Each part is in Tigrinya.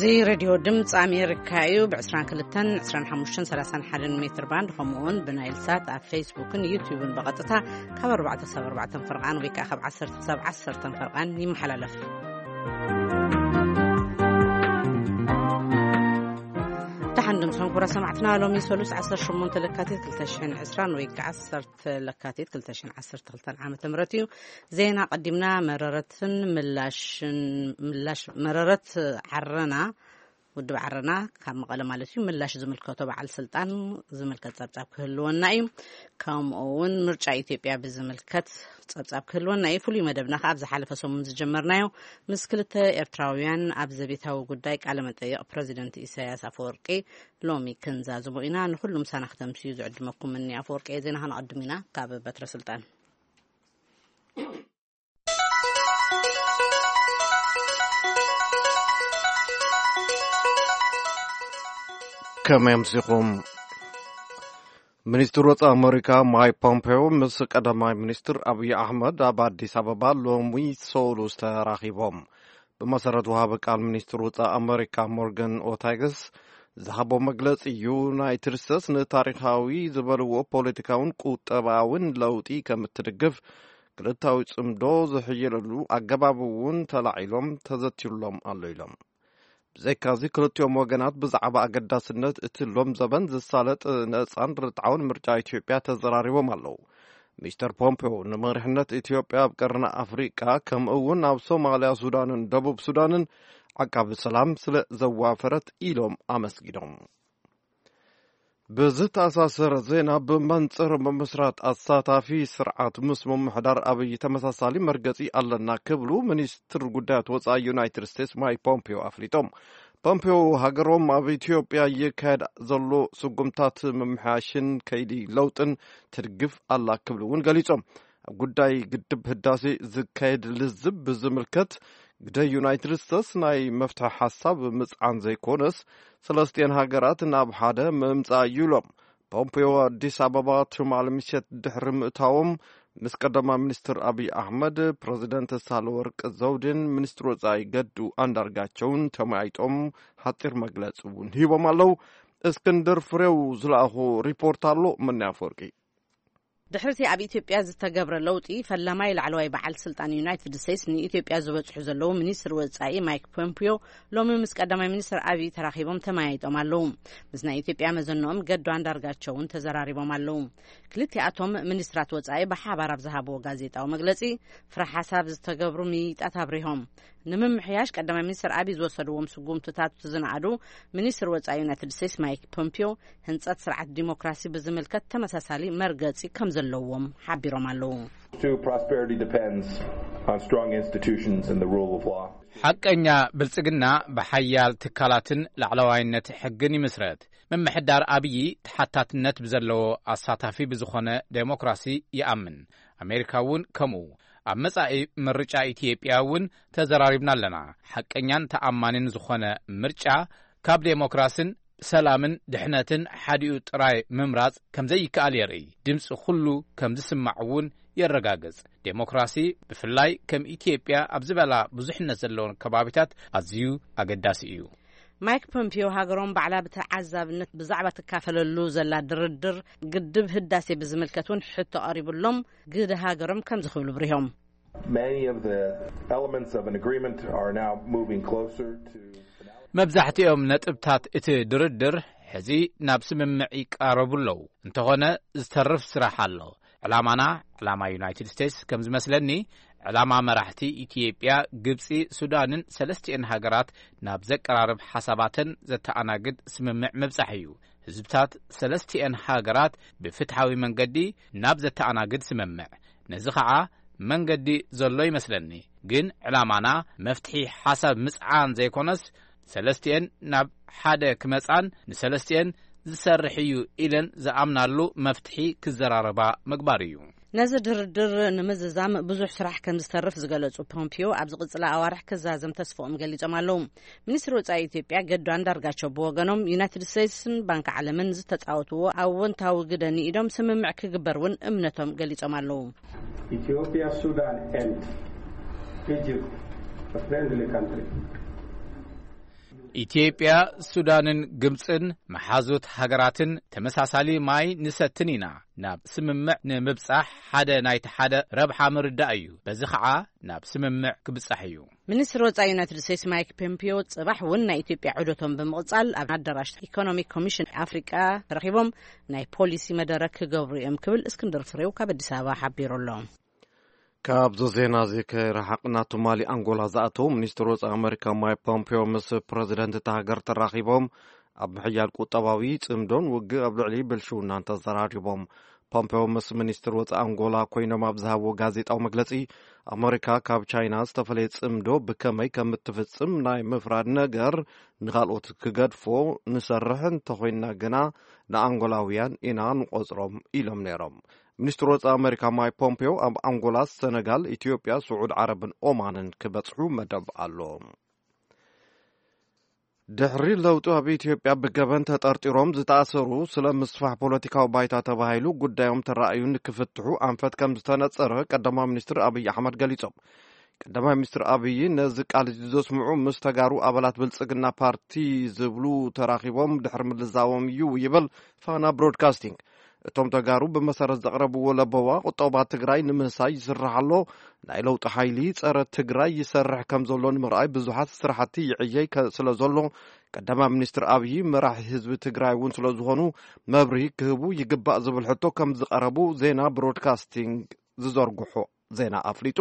እዚ ሬድዮ ድምፂ ኣሜሪካ እዩ። ብ22፣ 25፣ 31 ሜትር ባንድ፣ ከምኡ እውን ብናይል ሳት ኣብ ፌስቡክን ዩቲዩብን ብቐጥታ ካብ ኣርባዕተ ክሳብ ኣርባዕተ ፈርቓን ወይ ከዓ ካብ ዓሰርተ ክሳብ ዓሰርተ ፈርቓን ይመሓላለፍ። ደሓን ድምሶም ክቡራ ሰማዕትና፣ ሎሚ ሰሉስ ዓሰርተ ሸሞንተ ለካቲት ክልተ ሽሕን ዕስራን ወይ ከዓ ዓሰርተ ለካቲት ክልተ ሽሕን ዓሰርተ ክልተን ዓመተ ምህረት እዩ። ዜና ቀዲምና። መረረትን ምላሽን ምላሽ መረረት ዓረና ውድብ ዓረና ካብ መቐለ ማለት እዩ፣ ምላሽ ዝምልከቶ በዓል ስልጣን ዝምልከት ጸብጻብ ክህልወና እዩ። ከምኡ እውን ምርጫ ኢትዮጵያ ብዝምልከት ጸብጻብ ክህልወና እዩ። ፍሉይ መደብና ከኣ ኣብ ዝሓለፈ ሰሙን ዝጀመርናዮ፣ ምስ ክልተ ኤርትራውያን ኣብ ዘቤታዊ ጉዳይ ቃለ መጠይቕ ፕረዚደንት ኢሳያስ ኣፈወርቂ ሎሚ ክንዛዝሞ ኢና። ንኹሉ ምሳና ክተምስዩ ዝዕድመኩም እኒ ኣፈወርቂ። ዜና ከነቐድም ኢና ካብ በትረ ስልጣን። ከመይ ኣምሲኹም? ሚኒስትር ወጻኢ ኣመሪካ ማይክ ፖምፔዮ ምስ ቀዳማይ ሚኒስትር ኣብይ ኣሕመድ ኣብ ኣዲስ ኣበባ ሎሚ ሰሉስ ተራኺቦም። ብመሰረት ወሃቢ ቃል ሚኒስትር ወጻኢ ኣመሪካ ሞርጋን ኦርታገስ ዝሃቦ መግለጺ፣ ዩናይትድ ስቴትስ ንታሪኻዊ ዝበልዎ ፖለቲካውን ቁጠባውን ለውጢ ከም እትድግፍ፣ ክልታዊ ጽምዶ ዝሕየለሉ ኣገባብ እውን ተላዒሎም ተዘቲሎም ኣሎ ኢሎም። ብዘይካዚ ክልቲኦም ወገናት ብዛዕባ ኣገዳስነት እቲ ሎም ዘበን ዝሳለጥ ነጻን ርትዓውን ምርጫ ኢትዮጵያ ተዘራሪቦም ኣለዉ። ሚስተር ፖምፔዮ ንመሪሕነት ኢትዮጵያ ኣብ ቀርኒ ኣፍሪቃ ከምኡ እውን ኣብ ሶማልያ፣ ሱዳንን ደቡብ ሱዳንን ዓቃቢ ሰላም ስለ ዘዋፈረት ኢሎም ኣመስጊኖም። ብዝተኣሳሰረ ዜና፣ ብመንጽር ምምስራት ኣሳታፊ ስርዓት ምስ ምምሕዳር ኣብይ ተመሳሳሊ መርገጺ ኣለና ክብሉ ሚኒስትር ጉዳያት ወጻኢ ዩናይትድ ስቴትስ ማይክ ፖምፒዮ ኣፍሊጦም። ፖምፒዮ ሃገሮም ኣብ ኢትዮጵያ ይካየድ ዘሎ ስጉምታት ምምሕያሽን ከይዲ ለውጥን ትድግፍ ኣላ ክብሉ እውን ገሊጾም። ኣብ ጉዳይ ግድብ ህዳሴ ዝካየድ ልዝብ ብዝምልከት፣ ግደ ዩናይትድ ስቴትስ ናይ መፍትሒ ሓሳብ ምጽዓን ዘይኮነስ፣ ሰለስቲኤን ሃገራት ናብ ሓደ ምምጻእ እዩ ኢሎም። ፖምፒዮ ኣዲስ ኣበባ ትማሊ ምሸት ድሕሪ ምእታዎም፣ ምስ ቀዳማይ ሚኒስትር ኣብይ ኣሕመድ፣ ፕረዚደንት ሳህለወርቅ ዘውዴን ሚኒስትር ወጻኢ ገዱ ኣንዳርጋቸውን ተመያይጦም ሓጺር መግለጺ እውን ሂቦም ኣለዉ። እስክንድር ፍሬው ዝለኣኾ ሪፖርት ኣሎ። ምንያ ኣፈወርቂ። ድሕርቲ ኣብ ኢትዮጵያ ዝተገብረ ለውጢ፣ ፈላማይ ላዕለዋይ በዓል ስልጣን ዩናይትድ ስቴትስ ንኢትዮጵያ ዝበጽሑ ዘለዉ ሚኒስትር ወጻኢ ማይክ ፖምፒዮ ሎሚ ምስ ቀዳማይ ሚኒስትር ኣብይ ተራኺቦም ተመያይጦም ኣለዉ። ምስ ናይ ኢትዮጵያ መዘንኦም ገዱ ኣንዳርጋቸው እውን ተዘራሪቦም ኣለዉ። ክልቲኣቶም ሚኒስትራት ወጻኢ ብሓባር ኣብ ዝሃብዎ ጋዜጣዊ መግለጺ፣ ፍረ ሓሳብ ዝተገብሩ ምይይጣት ኣብሪሆም፣ ንምምሕያሽ ቀዳማይ ሚኒስትር ኣብይ ዝወሰድዎም ስጉምትታት ዝነኣዱ ሚኒስትር ወጻኢ ዩናይትድ ስቴትስ ማይክ ፖምፒዮ፣ ህንጸት ስርዓት ዲሞክራሲ ብዝምልከት ተመሳሳሊ መርገጺ ከም ዘለዎም ሓቢሮም ኣለዉ። True prosperity depends on strong institutions and the rule of law. ሓቀኛ ብልጽግና ብሓያል ትካላትን ላዕለዋይነት ሕግን ይምስረት። ምምሕዳር ኣብዪ ተሓታትነት ብዘለዎ ኣሳታፊ ብዝኾነ ዴሞክራሲ ይኣምን። ኣሜሪካ እውን ከምኡ። ኣብ መጻኢ ምርጫ ኢትዮጵያ እውን ተዘራሪብና ኣለና። ሓቀኛን ተኣማንን ዝኾነ ምርጫ ካብ ዴሞክራስን ሰላምን ድሕነትን ሓዲኡ ጥራይ ምምራጽ ከም ዘይከኣል የርኢ። ድምጺ ኩሉ ከም ዝስማዕ እውን የረጋግጽ። ዴሞክራሲ ብፍላይ ከም ኢትዮጵያ ኣብ ዝበላ ብዙሕነት ዘለወን ከባቢታት ኣዝዩ ኣገዳሲ እዩ። ማይክ ፖምፒዮ ሃገሮም ባዕላ ብተዓዛብነት ብዛዕባ ትካፈለሉ ዘላ ድርድር ግድብ ህዳሴ ብዝምልከት እውን ሕቶ ቀሪቡሎም፣ ግደ ሃገሮም ከምዚ ክብሉ ብሪሆም። Many of the elements of an agreement are now moving closer to finality. መብዛሕትኦም ነጥብታት እቲ ድርድር ሕዚ ናብ ስምምዕ ይቃረቡ ኣለዉ። እንተኾነ ዝተርፍ ስራሕ ኣሎ። ዕላማና፣ ዕላማ ዩናይትድ ስቴትስ ከም ዝመስለኒ፣ ዕላማ መራሕቲ ኢትዮጵያ፣ ግብጺ፣ ሱዳንን ሰለስቲኤን ሃገራት ናብ ዘቀራርብ ሓሳባተን ዘተኣናግድ ስምምዕ ምብጻሕ እዩ። ህዝብታት ሰለስቲኤን ሃገራት ብፍትሓዊ መንገዲ ናብ ዘተኣናግድ ስምምዕ። ነዚ ኸዓ መንገዲ ዘሎ ይመስለኒ። ግን ዕላማና መፍትሒ ሓሳብ ምጽዓን ዘይኮነስ፣ ሰለስቲኤን ናብ ሓደ ክመጻን ንሰለስቲኤን ዝሰርሕ እዩ ኢለን ዝኣምናሉ መፍትሒ ክዘራረባ ምግባር እዩ። ነዚ ድርድር ንምዝዛም ብዙሕ ስራሕ ከም ዝተርፍ ዝገለጹ ፖምፒዮ፣ ኣብ ዝቕጽላ ኣዋርሕ ክዛዘም ተስፍኦም ገሊጾም ኣለዉ። ሚኒስትሪ ወጻኢ ኢትዮጵያ ገዱ ኣንዳርጋቸው ብወገኖም፣ ዩናይትድ ስቴትስን ባንክ ዓለምን ዝተጻወትዎ ኣወንታዊ ግደ ንኢዶም ስምምዕ ክግበር እውን እምነቶም ገሊጾም ኣለዉ። Ethiopia, Sudan and Egypt, a friendly country. ኢትዮጵያ፣ ሱዳንን ግብጽን መሓዙት ሃገራትን ተመሳሳሊ ማይ ንሰትን ኢና። ናብ ስምምዕ ንምብጻሕ ሓደ ናይቲ ሓደ ረብሓ ምርዳእ እዩ። በዚ ኸዓ ናብ ስምምዕ ክብጻሕ እዩ። ሚኒስትር ወጻኢ ዩናይትድ ስቴትስ ማይክ ፖምፒዮ ጽባሕ እውን ናይ ኢትዮጵያ ዑደቶም ብምቕጻል ኣብ ኣዳራሽ ኢኮኖሚክ ኮሚሽን ኣፍሪቃ ተረኺቦም ናይ ፖሊሲ መደረ ክገብሩ እዮም ክብል እስክንድር ፍሬው ካብ ኣዲስ ኣበባ ሓቢሩ ኣሎ። ካብዚ ዜና እዚ ከይረሓቕና፣ ትማሊ ኣንጎላ ዝኣተው ሚኒስትር ወጻኢ ኣመሪካ ማይክ ፖምፒዮ ምስ ፕረዚደንት እታ ሃገር ተራኺቦም ኣብ ምሕያል ቁጠባዊ ጽምዶን ውግእ ኣብ ልዕሊ ብልሽውናን ተዘራሪቦም። ፖምፒዮ ምስ ሚኒስትር ወጻኢ ኣንጎላ ኮይኖም ኣብ ዝሃብዎ ጋዜጣዊ መግለጺ፣ ኣመሪካ ካብ ቻይና ዝተፈለየ ጽምዶ ብከመይ ከም እትፍጽም ናይ ምፍራድ ነገር ንኻልኦት ክገድፎ ንሰርሕ እንተኾይንና ግና ንኣንጎላውያን ኢና ንቆጽሮም ኢሎም ነይሮም። ሚኒስትር ወጻኢ ኣመሪካ ማይክ ፖምፔዮ ኣብ ኣንጎላ፣ ሰነጋል፣ ኢትዮጵያ፣ ስዑድ ዓረብን ኦማንን ክበጽሑ መደብ ኣሎ። ድሕሪ ለውጡ ኣብ ኢትዮጵያ ብገበን ተጠርጢሮም ዝተኣሰሩ ስለ ምስፋሕ ፖለቲካዊ ባይታ ተባሂሉ ጉዳዮም ተራእዩ ንክፍትሑ ኣንፈት ከም ዝተነጸረ ቀዳማዊ ሚኒስትር ኣብይ ኣሕመድ ገሊጾም። ቀዳማይ ሚኒስትር ኣብይ ነዚ ቃል እዚ ዘስምዑ ምስ ተጋሩ ኣባላት ብልጽግና ፓርቲ ዝብሉ ተራኺቦም ድሕሪ ምልዛዎም እዩ ይብል ፋና ብሮድካስቲንግ። እቶም ተጋሩ ብመሰረት ዘቕረብዎ ለበዋ ቁጠባ ትግራይ ንምህሳይ ይስራሕ ኣሎ፣ ናይ ለውጢ ሓይሊ ጸረ ትግራይ ይሰርሕ ከም ዘሎ ንምርኣይ ብዙሓት ስራሕቲ ይዕየይ ከ- ስለ ዘሎ ቀዳማይ ሚኒስትር ኣብይ መራሒ ህዝቢ ትግራይ እውን ስለ ዝኾኑ መብርሂ ክህቡ ይግባእ ዝብል ሕቶ ከም ዝቐረቡ ዜና ብሮድካስቲንግ ዝዘርግሖ ዜና ኣፍሊጡ።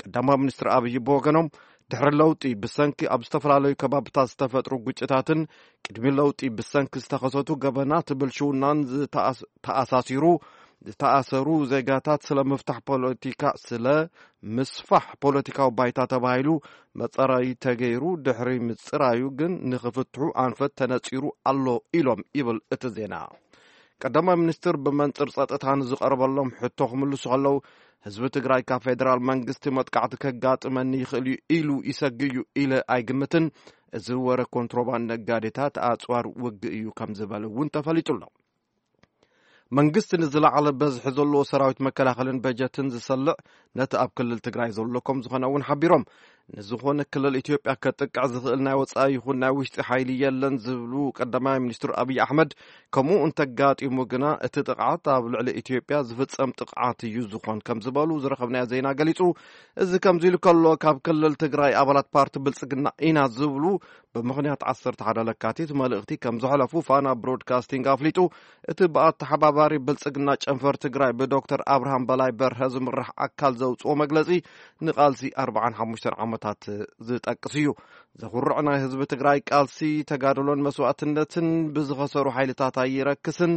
ቀዳማይ ሚኒስትር ኣብይ ብወገኖም ድሕሪ ለውጢ ብሰንኪ ኣብ ዝተፈላለዩ ከባብታት ዝተፈጥሩ ግጭታትን ቅድሚ ለውጢ ብሰንኪ ዝተኸሰቱ ገበናት ብልሽውናን ዝተኣስ- ተኣሳሲሩ ዝተኣሰሩ ዜጋታት ስለ ምፍታሕ ፖለቲካ ስለ ምስፋሕ ፖለቲካዊ ባይታ ተባሂሉ መጸራይ ተገይሩ ድሕሪ ምጽራዩ ግን ንኽፍትሑ ኣንፈት ተነጺሩ ኣሎ ኢሎም ይብል እቲ ዜና። ቀዳማይ ሚኒስትር ብመንጽር ጸጥታ ንዝቐረበሎም ሕቶ ክምልሱ ከለዉ፣ ህዝቢ ትግራይ ካብ ፌደራል መንግስቲ መጥቃዕቲ ከጋጥመኒ ይኽእል እዩ ኢሉ ይሰግእ እዩ ኢለ ኣይግምትን፣ እዚ ወረ ኮንትሮባንድ ነጋዴታት ኣጽዋር ውግእ እዩ ከም ዝበለ እውን ተፈሊጡ ኣሎ። መንግስቲ ንዝለዓለ በዝሒ ዘለዎ ሰራዊት መከላኸልን በጀትን ዝሰልዕ ነቲ ኣብ ክልል ትግራይ ዘሎ ከም ዝኾነ እውን ሓቢሮም። ንዝኾነ ክልል ኢትዮጵያ ከጥቅዕ ዝኽእል ናይ ወፃኢ ይኹን ናይ ውሽጢ ሓይሊ የለን ዝብሉ ቀዳማይ ሚኒስትር ኣብይ ኣሕመድ፣ ከምኡ እንተጋጢሙ ግና እቲ ጥቕዓት ኣብ ልዕሊ ኢትዮጵያ ዝፍጸም ጥቕዓት እዩ ዝኾን ከም ዝበሉ ዝረኸብናዮ ዜና ገሊጹ። እዚ ከምዚ ኢሉ ከሎ፣ ካብ ክልል ትግራይ ኣባላት ፓርቲ ብልጽግና ኢና ዝብሉ ብምኽንያት ዓሰርተ ሓደ ለካቲት መልእኽቲ ከም ዘሕለፉ ፋና ብሮድካስቲንግ ኣፍሊጡ። እቲ ብኣተሓባባሪ ብልጽግና ጨንፈር ትግራይ ብዶክተር ኣብርሃም በላይ በርሀ ዝምራሕ ኣካል ዘውፅኦ መግለፂ ንቃልሲ ኣርባዓን ሓሙሽተን ዓመታት ዝጠቅስ እዩ። ዘኹርዕ ናይ ህዝቢ ትግራይ ቃልሲ፣ ተጋድሎን መስዋእትነትን ብዝኸሰሩ ሓይልታት ኣይረክስን፣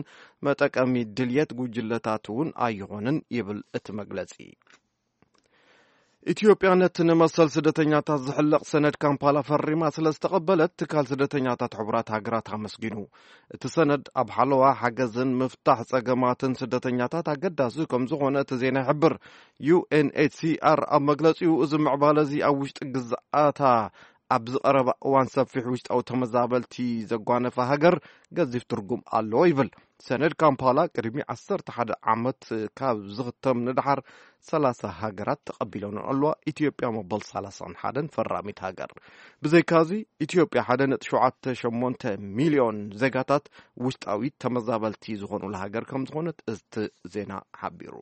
መጠቀሚ ድልየት ጉጅለታት እውን ኣይኾንን ይብል እቲ መግለፂ። ኢትዮጵያ ነቲ ንመሰል ስደተኛታት ዝሕለቕ ሰነድ ካምፓላ ፈሪማ ስለ ዝተቐበለት ትካል ስደተኛታት ሕቡራት ሃገራት ኣመስጊኑ። እቲ ሰነድ ኣብ ሓለዋ ሓገዝን ምፍታሕ ጸገማትን ስደተኛታት ኣገዳሲ ከም ዝኾነ እቲ ዜና ይሕብር። ዩ ኤን ኤች ሲ ኣር ኣብ መግለጺኡ፣ እዚ ምዕባለ እዚ ኣብ ውሽጢ ግዝኣታ ኣብ ዝቐረባ እዋን ሰፊሕ ውሽጣዊ ተመዛበልቲ ዘጓነፈ ሃገር ገዚፍ ትርጉም ኣለዎ ይብል። ሰነድ ካምፓላ ቅድሚ ዓሰርተ ሓደ ዓመት ካብ ዝኽተም ንደሓር ሰላሳ ሃገራት ተቐቢለንኦ ኣለዋ። ኢትዮጵያ መበል ሰላሳን ሓደን ፈራሚት ሃገር። ብዘይካዚ ኢትዮጵያ ሓደ ነጥቢ ሸውዓተ ሸሞንተ ሚልዮን ዜጋታት ውሽጣዊ ተመዛበልቲ ዝኾኑላ ሃገር ከም ዝኾነት እቲ ዜና ሓቢሩ።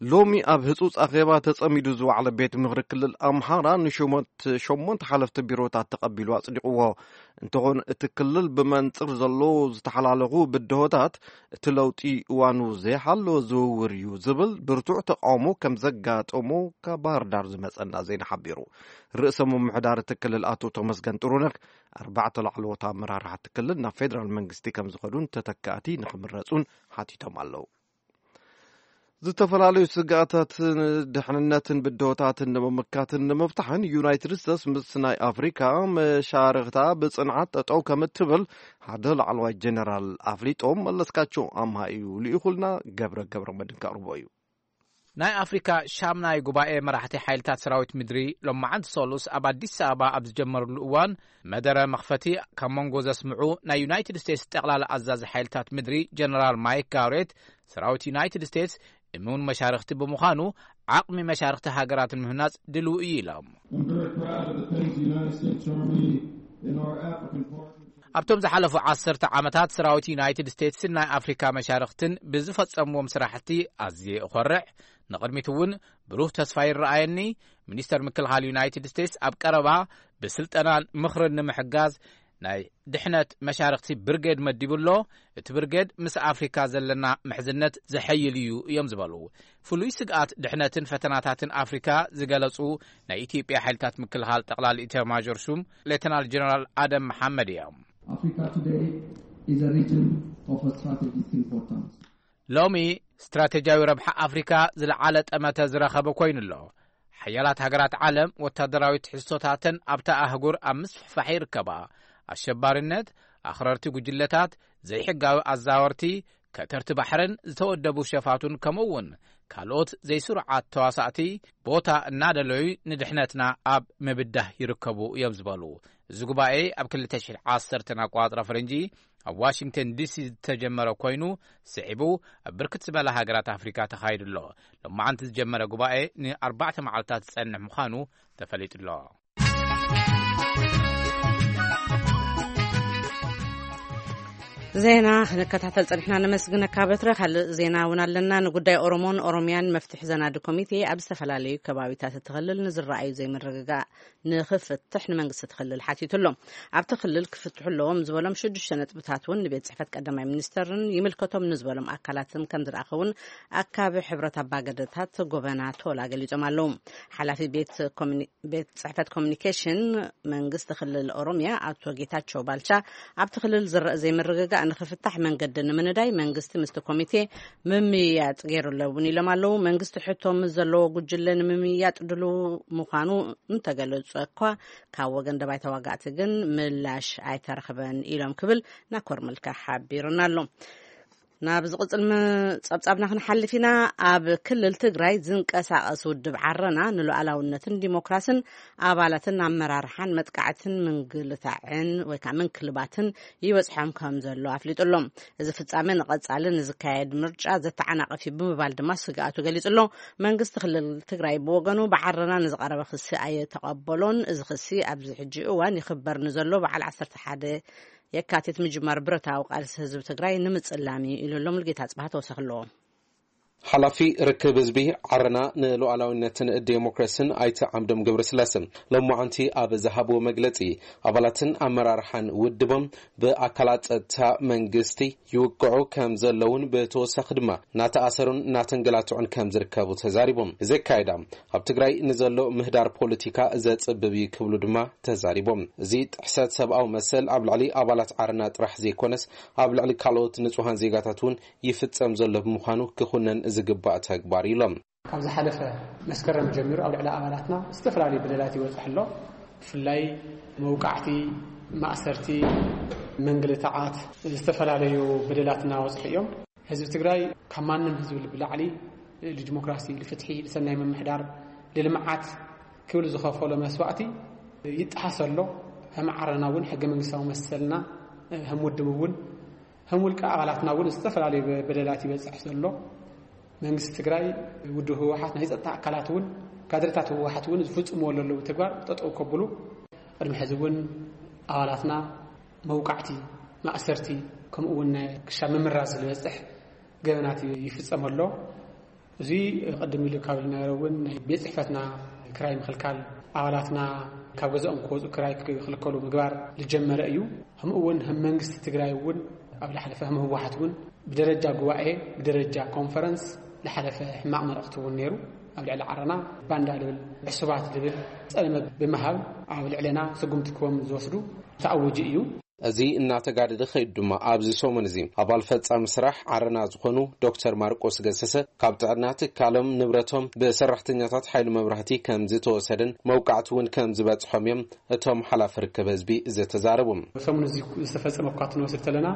ሎሚ ኣብ ህጹጽ ኣኼባ ተጸሚዱ ዝወዓለ ቤት ምኽሪ ክልል ኣምሓራ ንሹመት ሸሞንተ ሓለፍቲ ቢሮታት ተቐቢሉ ኣጽዲቕዎ። እንተኾነ እቲ ክልል ብመንጽር ዘሎ ዝተሓላለኹ ብድሆታት እቲ ለውጢ እዋኑ ዘይሓለወ ዝውውር እዩ ዝብል ብርቱዕ ተቃውሞ ከም ዘጋጠሞ ካብ ባህር ዳር ዝመጸና ዜና ሓቢሩ። ርእሰ ምምሕዳር እቲ ክልል ኣቶ ተመስገን ጥሩነህ ኣርባዕተ ላዕለዎት ኣመራርሓ እቲ ክልል ናብ ፌደራል መንግስቲ ከም ዝኸዱን ተተካእቲ ንክምረጹን ሓቲቶም ኣለዉ። ዝተፈላለዩ ስግኣታትን ድሕንነትን ብድሆታትን ንምምካትን ንምፍታሕን ዩናይትድ ስቴትስ ምስ ናይ ኣፍሪካ መሻርኽታ ብጽንዓት ጠጠው ከም እትብል ሓደ ላዕለዋይ ጀነራል ኣፍሊጦም። መለስካቸው ኣምሃ እዩ ልኢኹልና። ገብረ ገብረ መድን ከቕርቦ እዩ። ናይ ኣፍሪካ ሻምናይ ጉባኤ መራሕቲ ሓይልታት ሰራዊት ምድሪ ሎማዓንቲ ሰሉስ ኣብ ኣዲስ ኣበባ ኣብ ዝጀመርሉ እዋን፣ መደረ መኽፈቲ ካብ መንጎ ዘስምዑ ናይ ዩናይትድ ስቴትስ ጠቕላላ ኣዛዚ ሓይልታት ምድሪ ጀነራል ማይክ ጋውሬት፣ ሰራዊት ዩናይትድ ስቴትስ እሙን መሻርኽቲ ብምዃኑ ዓቕሚ መሻርኽቲ ሃገራት ንምህናፅ ድልው እዩ ኢሎም። Proud of the things the United States Army and our African partners ኣብቶም ዝሓለፉ ዓሰርተ ዓመታት ሰራዊት ዩናይትድ ስቴትስን ናይ ኣፍሪካ መሻርኽትን ብዝፈጸምዎም ስራሕቲ ኣዝየ እኾርዕ። ንቕድሚት እውን ብሩህ ተስፋ ይረኣየኒ። ሚኒስተር ምክልኻል ዩናይትድ ስቴትስ ኣብ ቀረባ ብስልጠናን ምኽርን ንምሕጋዝ ናይ ድሕነት መሻርኽቲ ብርጌድ መዲቡ ኣሎ። እቲ ብርጌድ ምስ ኣፍሪካ ዘለና ምሕዝነት ዘሐይል እዩ እዮም ዝበሉ። ፍሉይ ስግኣት ድሕነትን ፈተናታትን ኣፍሪካ ዝገለጹ ናይ ኢትዮጵያ ሓይልታት ምክልኻል ጠቕላሊ ኢታማዦር ሹም ሌተናል ጀነራል ኣደም መሓመድ እዮም። Africa today is a region of a strategic importance. ሎሚ ስትራቴጂያዊ ረብሓ ኣፍሪካ ዝለዓለ ጠመተ ዝረኸበ ኮይኑ ኣሎ። ሓያላት ሃገራት ዓለም ወታደራዊ ትሕዝቶታተን ኣብታ ኣህጉር ኣብ ምስፍሕፋሕ ይርከባ። ኣሸባሪነት፣ ኣኽረርቲ ጉጅለታት፣ ዘይሕጋዊ ኣዛወርቲ፣ ከተርቲ ባሕርን ዝተወደቡ ሸፋቱን ከምኡ እውን ካልኦት ዘይስሩዓት ተዋሳእቲ ቦታ እናደለዩ ንድሕነትና ኣብ ምብዳህ ይርከቡ እዮም ዝበሉ። እዚ ጉባኤ ኣብ ክልተ ሽሕ ዓሰርተ ኣቋጽራ ፈረንጂ ኣብ ዋሽንግተን ዲሲ ዝተጀመረ ኮይኑ ስዒቡ ኣብ ብርክት ዝበላ ሃገራት ኣፍሪካ ተኻይዱ ኣሎ። ሎማዓንቲ ዝጀመረ ጉባኤ ንኣርባዕተ መዓልታት ዝጸንሕ ምዃኑ ተፈሊጡ ኣሎ። ዜና ክንከታተል ጸኒሕና ነመስግነካ በትረ። ካልእ ዜና እውን ኣለና። ንጉዳይ ኦሮሞን ኦሮሚያን መፍትሒ ዘናዲ ኮሚቴ ኣብ ዝተፈላለዩ ከባቢታት እቲ ክልል ንዝረኣዩ ዘይምርግጋእ ንኽፍትሕ ንመንግስቲ እቲ ክልል ሓቲቱ ኣሎ። ኣብቲ ክልል ክፍትሑ ኣለዎም ዝበሎም ሽዱሽተ ነጥብታት እውን ንቤት ጽሕፈት ቀዳማይ ሚኒስተርን ይምልከቶም ንዝበሎም ኣካላትን ከም ዝለኣኸ እውን ኣካቢ ሕብረት ኣባገደታት ጎበና ቶላ ገሊጾም ኣለዉ። ሓላፊ ቤት ኮሚኒ ቤት ጽሕፈት ኮሚኒኬሽን መንግስቲ ክልል ኦሮሚያ ኣቶ ጌታቸው ባልቻ ኣብቲ ክልል ዝረአ ዘይምርግጋእ ንኽፍታሕ መንገዲ ንምንዳይ መንግስቲ ምስቲ ኮሚቴ ምምይያጥ ገይሩ ኣለውን ኢሎም ኣለዉ። መንግስቲ ሕቶ ምስ ዘለዎ ጉጅለ ንምምይያጥ ድሉ ምዃኑ እንተገለጹ እኳ ካብ ወገን ደባይ ተዋጋእቲ ግን ምላሽ ኣይተረኽበን ኢሎም ክብል ናኮር መልካ ሓቢሩና ኣሎ። ናብ ዝቕጽል ጸብጻብና ክንሓልፍ ኢና። ኣብ ክልል ትግራይ ዝንቀሳቐስ ውድብ ዓረና ንሉዓላውነትን ዲሞክራስን ኣባላትን ኣመራርሓን መጥቃዕትን ምንግልታዕን ወይ ከዓ ምንክልባትን ይበፅሖም ከም ዘሎ ኣፍሊጡ ኣሎ። እዚ ፍጻመ ንቐጻሊ ንዝካየድ ምርጫ ዘተዓናቕፍ እዩ ብምባል ድማ ስግኣቱ ገሊጹ ኣሎ። መንግስቲ ክልል ትግራይ ብወገኑ ብዓረና ንዝቐረበ ክሲ ኣየተቐበሎን። እዚ ክሲ ኣብዚ ሕጂ እዋን ይኽበር ንዘሎ በዓል ዓሰርተ ሓደ የካቲት ምጅማር ብረታዊ ቃልሲ ህዝቢ ትግራይ ንምጽላም እዩ ኢሉ ኣሎ። ሙልጌታ ጽባህ ተወሰኽ ኣለዎ። ሓላፊ ርክብ ህዝቢ ዓረና ንሉዓላዊነትን ዴሞክራሲን ኣይተ ዓምዶም ገብረስላሰ ሎማዓንቲ ኣብ ዝሃብዎ መግለፂ ኣባላትን ኣመራርሓን ውድቦም ብኣካላት ፀጥታ መንግስቲ ይውቅዑ ከም ዘለውን ብተወሳኺ ድማ እናተኣሰሩን እናተንገላትዑን ከም ዝርከቡ ተዛሪቦም። እዚ ኣካይዳ ኣብ ትግራይ ንዘሎ ምህዳር ፖለቲካ ዘፅብብ እዩ ክብሉ ድማ ተዛሪቦም። እዚ ጥሕሰት ሰብኣዊ መሰል ኣብ ልዕሊ ኣባላት ዓረና ጥራሕ ዘይኮነስ ኣብ ልዕሊ ካልኦት ንፁሃን ዜጋታት እውን ይፍፀም ዘሎ ብምዃኑ ክኹነን ዝግባእ ተግባር ኢሎም። ካብ ዝሓለፈ መስከረም ጀሚሩ ኣብ ልዕሊ ኣባላትና ዝተፈላለዩ በደላት ይበፅሕ ኣሎ። ብፍላይ መውቃዕቲ፣ ማእሰርቲ፣ ምንግልታዓት፣ ዝተፈላለዩ በደላት እናበፅሑ እዮም። ህዝቢ ትግራይ ካብ ማንም ህዝቢ ብላዕሊ ንዲሞክራሲ፣ ንፍትሒ፣ ንሰናይ ምምሕዳር፣ ንልምዓት ክብል ዝኸፈሎ መስዋእቲ ይጠሓስ ኣሎ። ከም ዓረና እውን ሕገ መንግስታዊ መሰልና ከም ውድብ እውን ከም ውልቀ ኣባላትና እውን ዝተፈላለዩ በደላት ይበፅሕ ዘሎ። መንግስቲ ትግራይ፣ ውድብ ህወሓት፣ ናይ ፀጥታ ኣካላት እውን ካድረታት ህወሓት እውን ዝፍፅምዎ ዘለዉ ተግባር ጠጠው ከብሉ ቅድሚ ሕዚ እውን ኣባላትና መውቃዕቲ፣ ማእሰርቲ ከምኡ እውን ናይ ክሻ ምምራዝ ዝበፅሕ ገበናት ይፍፀም ኣሎ። እዚ ቅድም ኢሉ ካብ ዝነበረ እውን ናይ ቤት ፅሕፈትና ክራይ ምክልካል ኣባላትና ካብ ገዛኦም ክወፁ ክራይ ክክልከሉ ምግባር ዝጀመረ እዩ። ከምኡ እውን ከም መንግስቲ ትግራይ እውን ኣብ ዝሓለፈ ከም ህወሓት እውን ብደረጃ ጉባኤ ብደረጃ ኮንፈረንስ ዝሓለፈ ሕማቕ መልእኽቲ እውን ነይሩ። ኣብ ልዕሊ ዓረና ባንዳ ልብል ዕሱባት ልብል ፀለመ ብምሃብ ኣብ ልዕለና ስጉምቲ ክቦም ዝወስዱ ተኣውጁ እዩ። እዚ እናተጋደደ ከይዱ ድማ ኣብዚ ሰሙን እዚ ኣባል ፈጻሚ ስራሕ ዓረና ዝኾኑ ዶክተር ማርቆስ ገሰሰ ካብ ጥዕና ትካሎም ንብረቶም ብሰራሕተኛታት ሓይሊ መብራህቲ ከም ዝተወሰደን መውቃዕቲ እውን ከም ዝበፅሖም እዮም እቶም ሓላፊ ርክብ ህዝቢ ዝተዛረቡ። ሰሙን እዚ ዝተፈጸመ እኳ ክንወስድ ተለና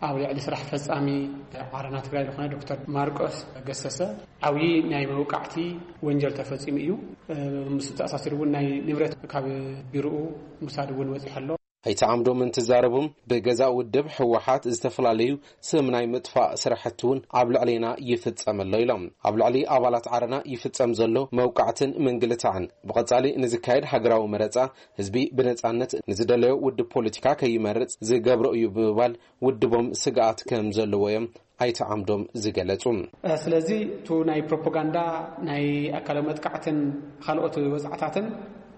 ኣብ ልዕሊ ስራሕ ፈጻሚ ዓረና ትግራይ ዝኾነ ዶክተር ማርቆስ ገሰሰ ዓብዪ ናይ መውቃዕቲ ወንጀል ተፈጺሙ እዩ። ምስ ተኣሳሲሩ እውን ናይ ንብረት ካብ ቢሮኡ ምውሳድ እውን በፂሑ ኣሎ። ኣይተ ዓምዶም እንትዛረቡም፣ ብገዛእ ውድብ ህወሓት ዝተፈላለዩ ስም ናይ ምጥፋእ ስራሕቲ እውን ኣብ ልዕሌና ይፍጸም ኣሎ ኢሎም። ኣብ ልዕሊ ኣባላት ዓረና ይፍጸም ዘሎ መውቃዕትን ምንግልታዕን ብቐጻሊ ንዝካየድ ሃገራዊ መረጻ ህዝቢ ብነጻነት ንዝደለዮ ውድብ ፖለቲካ ከይመርጽ ዝገብሮ እዩ ብምባል ውድቦም ስግኣት ከም ዘለዎ እዮም ኣይተ ዓምዶም ዝገለጹ። ስለዚ እቲ ናይ ፕሮፓጋንዳ፣ ናይ ኣካላዊ መጥቃዕትን ካልኦት ወጽዓታትን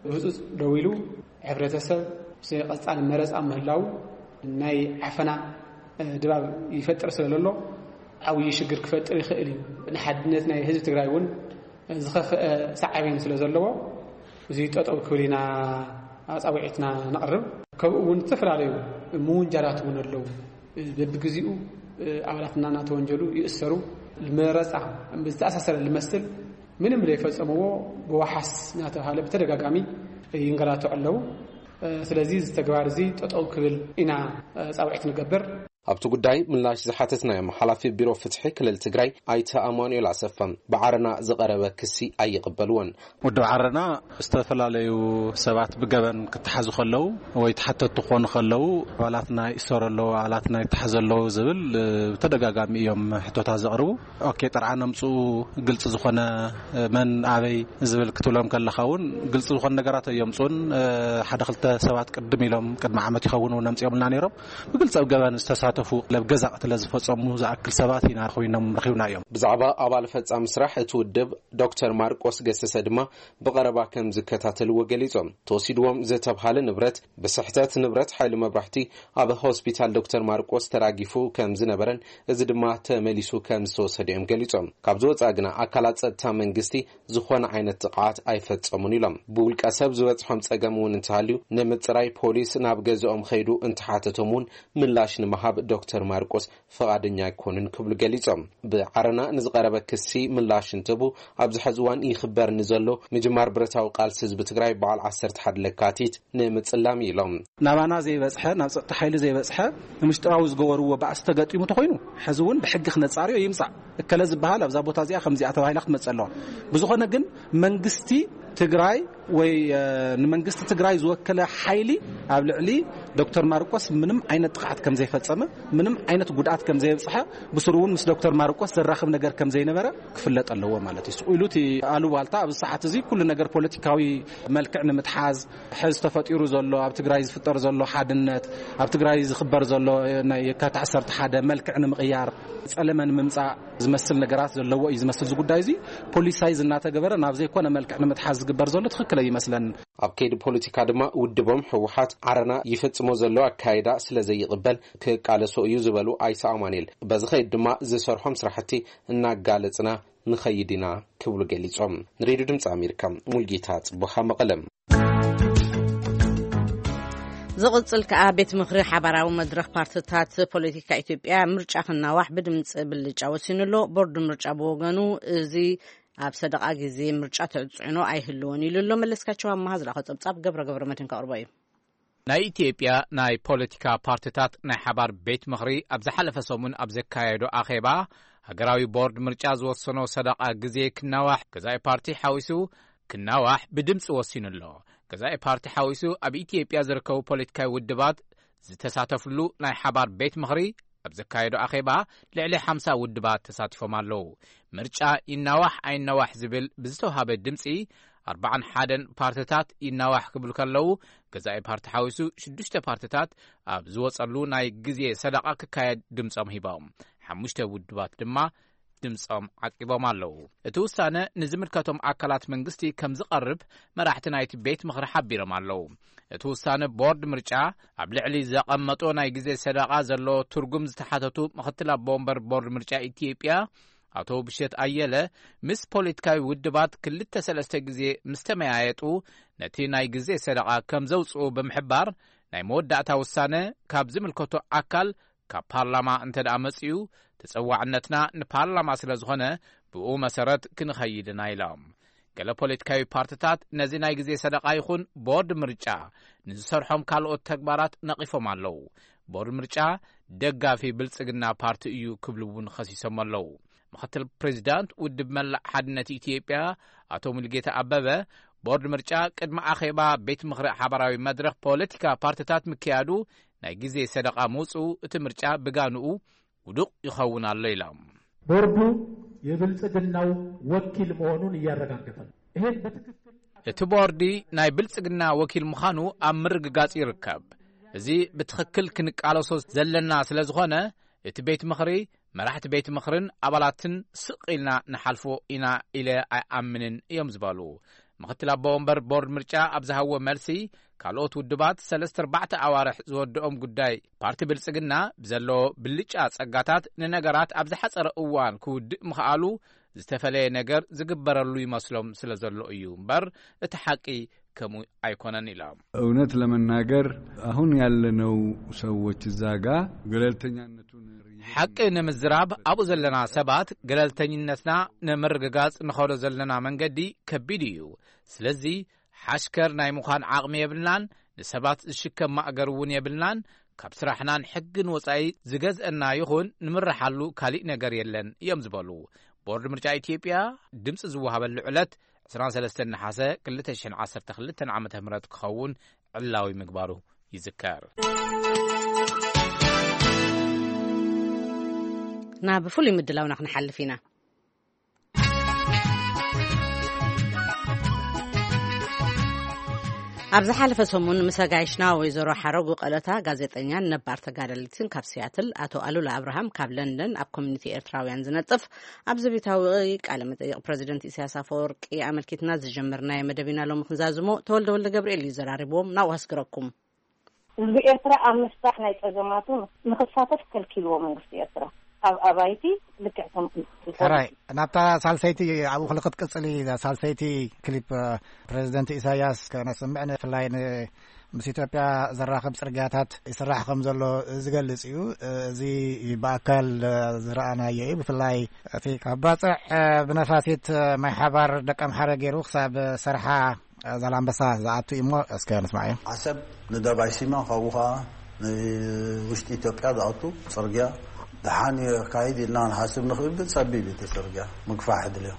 ብህጹጽ ደው ኢሉ፣ ሕብረተሰብ ብዘይ ቀጻሊ መረጻ ምህላው ናይ ዓፈና ድባብ ይፈጥር ስለ ዘሎ፣ ዓብዪ ሽግር ክፈጥር ይኽእል እዩ። ንሓድነት ናይ ህዝቢ ትግራይ እውን ዝኸፍአ ሳዕቤን ስለ ዘለዎ፣ እዚ ጠጠው ክብል ኢና ጻውዒትና ነቕርብ። ከምኡ እውን ዝተፈላለዩ ምውንጃላት እውን ኣለዉ። በብግዜኡ ኣባላት እናተወንጀሉ ይእሰሩ። መረፃ ዝተኣሳሰረ ዝመስል ምንም ዘይፈጸምዎ ብዋሓስ እናተባሃለ ብተደጋጋሚ ይንገላቱ ኣለዉ። ስለዚ እዚ ተግባር እዚ ጠጠው ክብል ኢና ጻውዒት ንገብር። ኣብቲ ጉዳይ ምላሽ ዝሓተትናዮም ሓላፊ ቢሮ ፍትሒ ክልል ትግራይ ኣይተ ኣማኑኤል ኣሰፋ፣ ብዓረና ዝቐረበ ክሲ ኣይቕበልዎን። ውድብ ዓረና ዝተፈላለዩ ሰባት ብገበን ክተሓዙ ከለዉ ወይ ተሓተቱ ክኾኑ ከለዉ፣ ኣባላትና ይእሰሩ ኣለዉ፣ ኣባላትና ይተሓዙ ኣለዉ ዝብል፣ እ፣ ብተደጋጋሚ እዮም ሕቶታት ዘቕርቡ። ኦኬ፣ ጥርዓን ኣምጽኡ፣ ግልጺ ዝኾነ፣ እ፣ መን ኣበይ ዝብል ክትብሎም ከለኻ እውን ግልጺ ዝኾነ ነገራት ኣየምጽኡን። እ፣ ሓደ ክልተ ሰባት ቅድም ኢሎም፣ ቅድሚ ዓመት ይኸውን እውን ኣምጺኦምልና ነይሮም። ብግልጺ ኣብ ገበን ዝተሳተፉ፣ ኣብ ገዛ ቅትለት ዝፈጸሙ ዝኣክል ሰባት ኢና ኮይኖም ረኺብናዮም። ብዛዕባ ኣባል ፈጻሚ ስራሕ እቲ ውድብ ዶክተር ማርቆስ ገሰሰ ድማ ብቐረባ ከም ዝከታተልዎ ገሊጾም። ተወሲድዎም ዝተብሃለ ንብረት ብስሕተት ንብረት ሓይሊ መብራህቲ ኣብ ሆስፒታል ዶክተር ማርቆስ ተራጊፉ ከም ዝነበረን እዚ ድማ ተመሊሱ ከም ዝተወሰደ እዮም ገሊጾም። ካብዚ ወጻኢ ግና ኣካላት ጸጥታ መንግስቲ ዝኾነ ዓይነት ጥቕዓት ኣይፈጸሙን ኢሎም። ብውልቀ ሰብ ዝበጽሖም ጸገም እውን እንተሃልዩ ንምጽራይ ፖሊስ ናብ ገዝኦም ኸይዱ እንተሓተቶም እውን ምላሽ ንምሃብ ዶክተር ማርቆስ ፍቓደኛ ኣይኮኑን ክብሉ ገሊጾም። ብዓረና ንዝቐረበ ክሲ ምላሽ እንትህቡ፣ ኣብዚ ሐዚ እዋን ይኽበር ንዘሎ ምጅማር ብረታዊ ቃልሲ ህዝቢ ትግራይ በዓል ዓሰርተ ሓደ ለካቲት ንምጽላም ኢሎም። ናባና ዘይበጽሐ፣ ናብ ጸጥታ ሓይሊ ዘይበጽሐ፣ ንምሽጥራዊ ዝገበርዎ ባእሲ ተገጢሙ ተኾይኑ፣ ሐዚ እውን ብሕጊ ክነጻርዮ ይምጻእ። እከለ ዝበሃል ኣብዛ ቦታ እዚኣ ከምዚኣ ተባሂላ ክትመጽእ ኣለዋ። ብዝኾነ ግን መንግስቲ ትግራይ ወይ፣ እ፣ ንመንግስቲ ትግራይ ዝወከለ ሓይሊ ኣብ ልዕሊ ዶክተር ማርቆስ ምንም ዓይነት ጥቕዓት ከም ዘይፈጸመ፣ ምንም ዓይነት ጉድኣት ከም ዘየብጽሐ፣ ብስሩ እውን ምስ ዶክተር ማርቆስ ዘራኽብ ነገር ከም ዘይነበረ ክፍለጥ ኣለዎ ማለት እዩ። ስቕ ኢሉ እቲ ኣሉባልታ ኣብዚ ሰዓት እዚ ኩሉ ነገር ፖለቲካዊ መልክዕ ንምትሓዝ፣ ሕዚ ተፈጢሩ ዘሎ፣ ኣብ ትግራይ ዝፍጠር ዘሎ ሓድነት፣ ኣብ ትግራይ ዝኽበር ዘሎ ናይ የካቲት ዓሰርተ ሓደ መልክዕ ንምቕያር፣ ጸለመ ንምምጻእ ዝመስል ነገራት ዘለዎ እዩ ዝመስል። እዚ ጉዳይ እዚ ፖሊሳይዝ እናተገበረ ናብ ዘይኮነ መልክዕ ንምትሓዝ ዝግበር ዘሎ ትኽክል ኣይመስለን። ኣብ ከይዲ ፖለቲካ ድማ ውድቦም ህወሓት ዓረና ይፍጽሞ ዘሎ ኣካይዳ ስለ ዘይቕበል ክቃለሶ እዩ ዝበሉ ኣይተ ኣማኑኤል፣ በዚ ኸይድ ድማ ዝሰርሖም ስራሕቲ እናጋለጽና ንኸይድ ኢና ክብሉ ገሊጾም። ንሬድዮ ድምፂ ኣሜሪካ፣ ሙልጌታ ጽቡኻ፣ መቐለም። ዝቕጽል ከኣ ቤት ምኽሪ ሓባራዊ መድረኽ ፓርትታት ፖለቲካ ኢትዮጵያ ምርጫ ክናዋሕ ብድምፂ ብልጫ ወሲኑ ኣሎ። ቦርድ ምርጫ ብወገኑ እዚ ኣብ ሰደቓ ግዜ ምርጫ ተጽዕኖ ኣይህልዎን ኢሉ ኣሎ። መለስካቸው ኣማሃ ዝለኣኾ ጸብጻብ ገብረ ገብረ መድህን ከቕርቦ እዩ። ናይ ኢትዮጵያ ናይ ፖለቲካ ፓርትታት ናይ ሓባር ቤት ምኽሪ ኣብ ዝሓለፈ ሰሙን ኣብ ዘካየዶ ኣኼባ፣ ሃገራዊ ቦርድ ምርጫ ዝወሰኖ ሰደቓ ግዜ ክናዋሕ፣ ገዛኢ ፓርቲ ሓዊሱ ክናዋሕ ብድምፂ ወሲኑ ኣሎ። ገዛኢ ፓርቲ ሓዊሱ ኣብ ኢትዮጵያ ዝርከቡ ፖለቲካዊ ውድባት ዝተሳተፍሉ ናይ ሓባር ቤት ምኽሪ ኣብ ዘካየዶ ኣኼባ ልዕሊ ሓምሳ ውድባት ተሳቲፎም ኣለዉ። ምርጫ ይናዋሕ ኣይናዋሕ ዝብል ብዝተውሃበ ድምፂ ኣርባዓን ሓደን ፓርትታት ይናዋሕ ክብሉ ከለዉ፣ ገዛኢ ፓርቲ ሓዊሱ ሽዱሽተ ፓርትታት ኣብ ዝወጸሉ ናይ ግዜ ሰደቓ ክካየድ ድምጾም ሂቦም። ሓሙሽተ ውድባት ድማ ድምጾም ዓቂቦም ኣለዉ። እቲ ውሳነ ንዝምልከቶም ኣካላት መንግስቲ ከም ዝቐርብ መራሕቲ ናይቲ ቤት ምኽሪ ሓቢሮም ኣለዉ። እቲ ውሳነ ቦርድ ምርጫ ኣብ ልዕሊ ዘቐመጦ ናይ ግዜ ሰደቓ ዘለዎ ትርጉም ዝተሓተቱ ምኽትል ኣቦ ወንበር ቦርድ ምርጫ ኢትዮጵያ ኣቶ ብሸት ኣየለ፣ ምስ ፖለቲካዊ ውድባት ክልተ ሰለስተ ግዜ ምስ ተመያየጡ ነቲ ናይ ግዜ ሰደቓ ከም ዘውጽኡ ብምሕባር፣ ናይ መወዳእታ ውሳነ ካብ ዝምልከቶ ኣካል፣ ካብ ፓርላማ እንተ ደኣ መጺኡ፣ ተጸዋዕነትና ንፓርላማ ስለ ዝኾነ፣ ብኡ መሰረት ክንኸይድ ኢና ኢሎም። ገለ ፖለቲካዊ ፓርትታት ነዚ ናይ ግዜ ሰደቓ ይኹን ቦርድ ምርጫ ንዝሰርሖም ካልኦት ተግባራት ነቒፎም ኣለዉ። ቦርድ ምርጫ ደጋፊ ብልጽግና ፓርቲ እዩ ክብሉ እውን ኸሲሶም ኣለዉ። ምኽትል ፕሬዚዳንት ውድብ መላእ ሓድነት ኢትዮጵያ ኣቶ ሙሉጌታ ኣበበ፣ ቦርድ ምርጫ ቅድሚ ኣኼባ ቤት ምኽሪ ሓባራዊ መድረኽ ፖለቲካ ፓርቲታት ምክያዱ ናይ ግዜ ሰደቓ ምውፅኡ እቲ ምርጫ ብጋንኡ ውዱቕ ይኸውን ኣሎ ኢሎም። ቦርዱ የብልጽግናው ወኪል መሆኑን እያረጋገጠ ነው። ይሄን በትክክል እቲ ቦርዲ ናይ ብልጽግና ወኪል ምዃኑ ኣብ ምርግጋጽ ይርከብ። እዚ ብትኽክል ክንቃለሶ ዘለና ስለ ዝኾነ፣ እቲ ቤት ምኽሪ፣ መራሕቲ ቤት ምኽርን ኣባላትን ስቕ ኢልና ንሓልፎ ኢና ኢለ ኣይኣምንን እዮም ዝበሉ ምኽትል ኣቦ ወንበር ቦርድ ምርጫ ኣብ ዝሃብዎ መልሲ፣ ካልኦት ውድባት ሰለስተ ኣርባዕተ ኣዋርሕ ዝወድኦም ጉዳይ ፓርቲ ብልጽግና ብዘለዎ ብልጫ ጸጋታት ንነገራት ኣብ ዝሓጸረ እዋን ክውድእ ምኽኣሉ ዝተፈለየ ነገር ዝግበረሉ ይመስሎም ስለ ዘሎ እዩ እምበር እቲ ሓቂ ከምኡ ኣይኮነን ኢሎም። እውነት ለመናገር አሁን ያለነው ሰዎች እዛ ጋ ገለልተኛነቱን ሓቂ ንምዝራብ ኣብኡ ዘለና ሰባት ገለልተኝነትና ንምርግጋጽ ንኸዶ ዘለና መንገዲ ከቢድ እዩ። ስለዚ ሓሽከር ናይ ምዃን ዓቕሚ የብልናን፣ ንሰባት ዝሽከም ማእገር እውን የብልናን። ካብ ስራሕናን ሕግን ወጻኢ ዝገዝአና ይኹን ንምርሓሉ ካሊእ ነገር የለን እዮም ዝበሉ። ቦርድ ምርጫ ኢትዮጵያ ድምፂ ዝወሃበሉ ዕለት ዕስራን ሰለስተን ነሓሰ ክልተ ሽሕን ዓሰርተ ክልተን ዓመተ ምህረት ክኸውን ዕላዊ ምግባሩ ይዝከር። ናብ ፍሉይ ምድላውና ክንሓልፍ ኢና። ኣብ ዝሓለፈ ሰሙን ምስ ኣጋይሽና ወይዘሮ ሓረጉ ቀለታ ጋዜጠኛን ነባር ተጋደሊትን ካብ ሲያትል፣ ኣቶ ኣሉላ ኣብርሃም ካብ ለንደን ኣብ ኮሚኒቲ ኤርትራውያን ዝነጥፍ ኣብዚ ቤታዊ ቃለ መጠይቕ ፕረዚደንት ኢሳያስ ኣፈወርቂ ኣመልኪትና ዝጀመርናዮ መደብ ኢና ሎሚ ክንዛዝሞ። ተወልደ ወልደ ገብርኤል እዩ ዘራሪብዎም። ናብኡ ኣስግረኩም። ህዝቢ ኤርትራ ኣብ ምፍታሕ ናይ ጸገማቱ ንኽሳተፍ ከልኪልዎ መንግስቲ ኤርትራ። ኣብ ኣባይቲ ልክዕ ከም ሕራይ ናብታ ሳልሰይቲ ኣብኡ ክልክት ቅጽሊ ሳልሰይቲ ክሊፕ ፕሬዚደንት ኢሳያስ ከነስምዕ ንፍላይ ምስ ኢትዮጵያ ዘራኽብ ጽርግያታት ይስራሕ ከም ዘሎ ዝገልጽ እዩ። እዚ ብኣካል ዝረኣናዮ እዩ። ብፍላይ እቲ ካብ ባጽዕ ብነፋሲት ማይ ሓባር ደቀምሓረ ገይሩ ክሳብ ሰርሓ ዛላምበሳ ዝኣቱ እዩ እሞ እስከ ንስማዕ እዩ። ዓሰብ ንደባይ ሲማ ካብኡ ከዓ ንውሽጢ ኢትዮጵያ ዝኣቱ ፅርግያ ደሓን የካይድ ኢልና ንሓስብ ንኽእል፣ ግን ፀቢብ እቲ ፅርግያ ምግፋሕ ድልዮ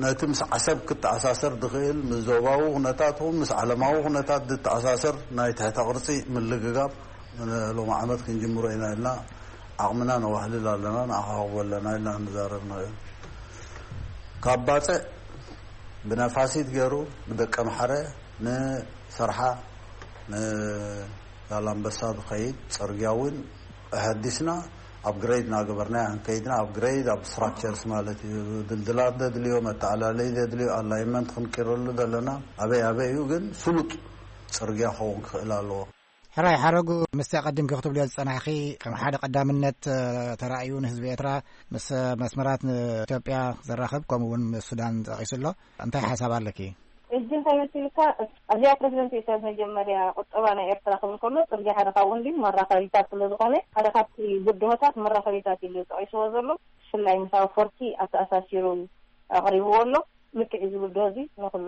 ነቲ ምስ ዓሰብ ክተኣሳሰር ዝኽእል ምስ ዞባዊ ኩነታት ኹን ምስ ዓለማዊ ኩነታት ዝተኣሳሰር ናይ ትሕተ ቅርፂ ምልግጋብ ሎሚ ዓመት ክንጅምሮ ኢና ኢልና ዓቕምና ነዋህልል ኣለና፣ ንኣኻኽቦ ኣለና ኢልና ንዛረብ ንኽእል። ካብ ባፅዕ ብነፋሲት ገይሩ ብደቀምሓረ ንሰርሓ ንዛላምበሳ ዝኸይድ ፅርግያ እውን ኣሐዲስና ኣፕግሬድ እናገበርና ክንከይድና ኣፕግሬድ ኣብ ስትራክቸርስ ማለት እዩ። ድልድላት ዘድልዮ፣ መተኣላለይ ዘድልዮ፣ ኣላይመንት ክንቅረሉ ዘለና ኣበይ ኣበይ እዩ ግን ስሉጥ ፅርግያ ክኸውን ክኽእል ኣለዎ። ሕራይ ሓረጉ ምስቲ ኣቐዲምኪ ክትብልዮ ዝጸናሕኺ ከም ሓደ ቀዳምነት ተራእዩ ንህዝቢ ኤርትራ ምስ መስመራት ንኢትዮጵያ ዘራኽብ ከምኡ እውን ምስ ሱዳን ጠቒሱ ኣሎ። እንታይ ሓሳብ ኣለኪ? ሕጂ እንታይ መሲልካ ኣብዚኣ ፕረዚደንት ኢሳያስ መጀመርያ ቁጠባ ናይ ኤርትራ ክብል ከሎ ጽርግያ ሓደ ካብኡ እንዲ መራኸቢታት ስለ ዝኾነ ሓደ ካብቲ ብድሆታት መራኸቢታት ኢሉ ጠቒስዎ ዘሎ ብፍላይ ምስ ኣፈወርቂ ኣተኣሳሲሩ ኣቕሪብዎ ኣሎ። ልክዕ እዚ ብድሆ እዚ ንኹሉ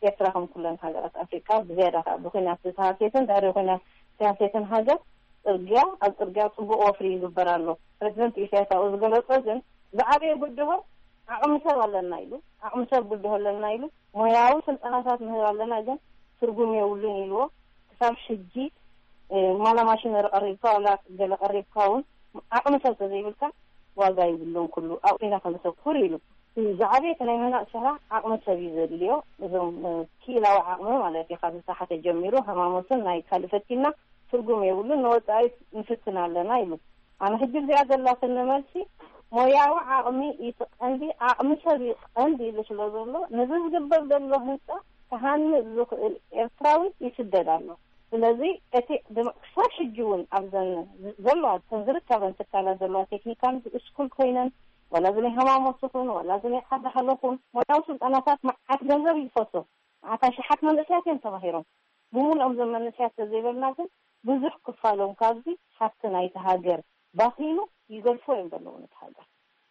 ኤርትራ ከም ኩለን ሃገራት ኣፍሪቃ ብዝያዳ ከዓ ብኩናት ዝተሃስየትን ድሕሪ ኩናት ዝተሃስየትን ሃገር ጽርግያ ኣብ ጽርግያ ጽቡቕ ወፍሪ ይግበር ኣሎ። ፕረዚደንት ኢሳያስ ኣብኡ ዝገለጾ ግን ዝዓበየ ብድሆ ዓቕሚ ሰብ ኣለና ኢሉ ዓቕሚ ሰብ ብድሆ ኣለና ኢሉ ሞያዊ ስልጠናታት ንህብ ኣለና ግን ትርጉም የብሉን ኢልዎ። ክሳብ ሕጂ ዋላ ማሽነሪ ቀሪብካ ዋላ ገለ ቀሪብካ እውን ዓቕሚ ሰብ ተዘይብልካ ዋጋ ይብሉን ኩሉ ኣብኡ ኢና ከነተኩር ኢሉ። ዝዓበየ እቲ ናይ ምህናፅ ስራሕ ዓቕሚ ሰብ እዩ ዘድልዮ። እዞም ክኢላዊ ዓቕሚ ማለት እዩ ካብ ዝተሓተ ጀሚሩ ሃማሞትን ናይ ካልእ ፈቲና ትርጉም የብሉን ንወፃኢ ንፍትን ኣለና ኢሉ። ኣነ ሕጂ እዚኣ ዘላትኒ መልሲ ሞያዊ ዓቕሚ እቲ ቀንዲ ዓቕሚ ሰብ እዩ ቀንዲ ኢሉ ስለ ዘሎ ነዚ ዝግበር ዘሎ ህንፃ ክሃንፅ ዝኽእል ኤርትራዊ ይስደድ ኣሎ። ስለዚ እቲ ክሳብ ሕጂ እውን ኣብዘን ዘለዋ እተን ዝርከበን ትካላት ዘለዋ ቴክኒካል ስኩል ኮይነን ዋላ እዚ ናይ ሃማሞት ይኹን ዋላ እዚ ናይ ሓደ ሃለኹን ሞያዊ ስልጠናታት መዓት ገንዘብ ይፈሶ መዓት ኣሽሓት መንእሰያት እዮም ተማሂሮም ብሙሉኦም እዞም መንእሰያት ተዘይበልና ግን ብዙሕ ክፋሎም ካብዚ ሃፍቲ ናይቲ ሃገር ባኺኑ ይገድፎ እዮም ዘለዉ ነቲ ሃገር።